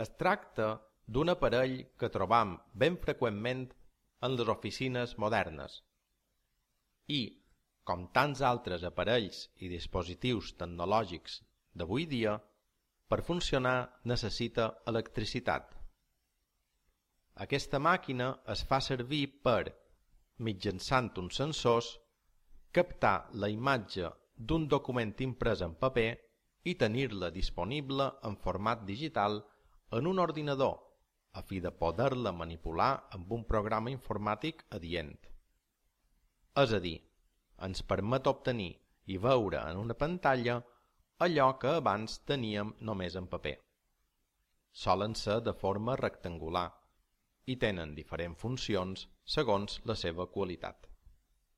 Es tracta d'un aparell que trobam ben freqüentment en les oficines modernes i, com tants altres aparells i dispositius tecnològics d'avui dia, per funcionar necessita electricitat. Aquesta màquina es fa servir per, mitjançant uns sensors, captar la imatge d'un document imprès en paper i tenir-la disponible en format digital en un ordinador, a fi de poder-la manipular amb un programa informàtic adient. És a dir, ens permet obtenir i veure en una pantalla allò que abans teníem només en paper. Solen ser de forma rectangular i tenen diferents funcions segons la seva qualitat.